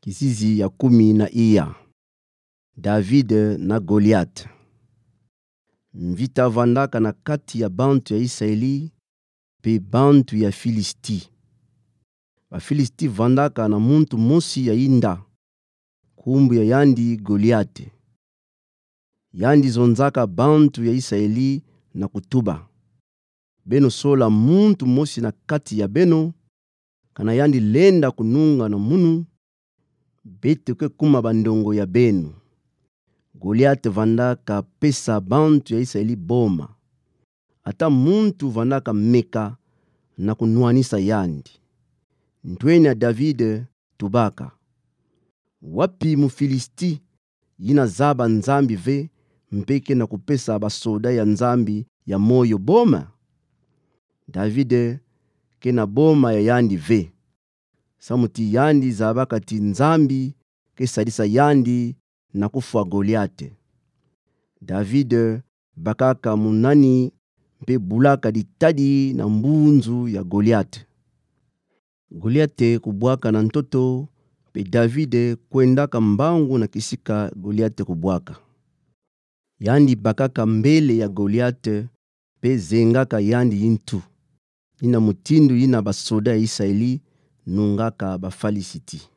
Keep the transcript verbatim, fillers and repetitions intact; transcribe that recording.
Kizizi ya kumi na iya. David na Goliate. Mvita vandaka na kati ya bantu ya Isaeli mpe bantu ya Filisti. Bafilisti vandaka na muntu mosi ya inda, nkumbu ya yandi Goliate. Yandi zonzaka bantu ya Isaeli na kutuba: Beno sola muntu mosi na kati ya beno, kana yandi lenda kununga na munu, beto ke kuma bandongo ya beno. Goliate vandaka pesa bantu ya Isaeli boma. Ata muntu vandaka meka na kunwanisa yandi. Ntwenia David tubaka: Wapi Mufilisti yina zaba Nzambi ve, mpe kena kupesa basoda ya Nzambi ya moyo boma? David kena boma ya yandi ve, samu ti yandi zabaka ti Nzambi ke sadisa yandi na kufwa Goliate. David bakaka munani mpe bulaka ditadi na mbunzu ya Goliate. Goliate kubwaka na ntoto, mpe David kwendaka mbangu na kisika Goliate kubwaka. Yandi bakaka mbele ya Goliate, mpe zengaka yandi yintu, yina mutindu yina basoda ya Isaeli nungaka Bafalisiti.